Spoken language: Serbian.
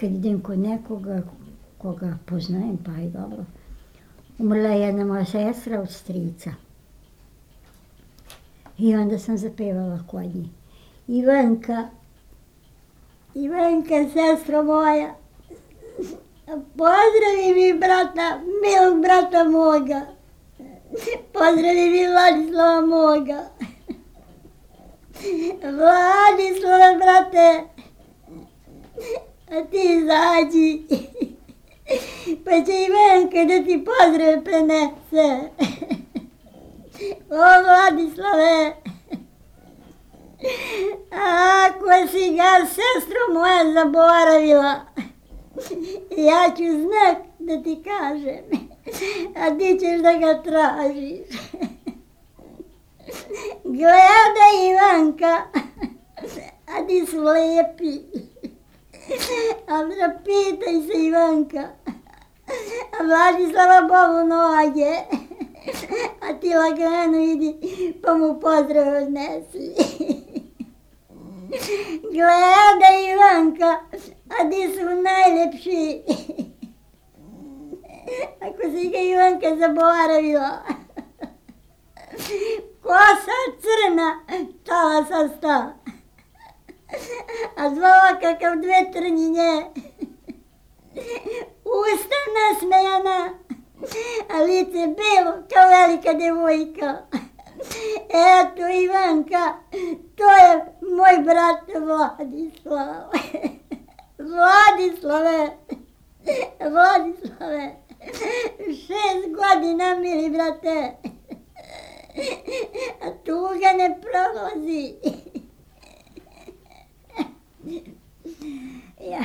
kad idem kod nekoga koga poznajem, pa i dobro. Umrla je jedna moja sestra od strica. I onda sam zapevala kod njih. Ivanka, sestro moja, pozdravi mi brata, milog brata moga. Pozdravi mi Vladislava moga. Vladislave, brate, a ti izađi, pa će Ivanka da ti pozdrave prenese. O, Vladislave, ako si ga, sestro moja, zaboravila, ja ću znak da ti kažem, a ti ćeš da ga tražiš. Gledaj, Ivanka, a ti su lepi. A pitaj se, Ivanka, a Vladislava Bogu noge, a ti lagano idi pa mu pozdrav odnesi. Gledaj, Ivanka, a ti su najlepši. Ako si ga, Ivanka, zaboravila. Kosa crna, talasa sta, a zvala kakav dve trnjinje. Usta nasmejana, a lice belo kao velika devojka. Eto, Ivanka, to je moj brat Vladislav. Vladislave, 6 godina, mili brate. A tuga ne prolazi. Ja.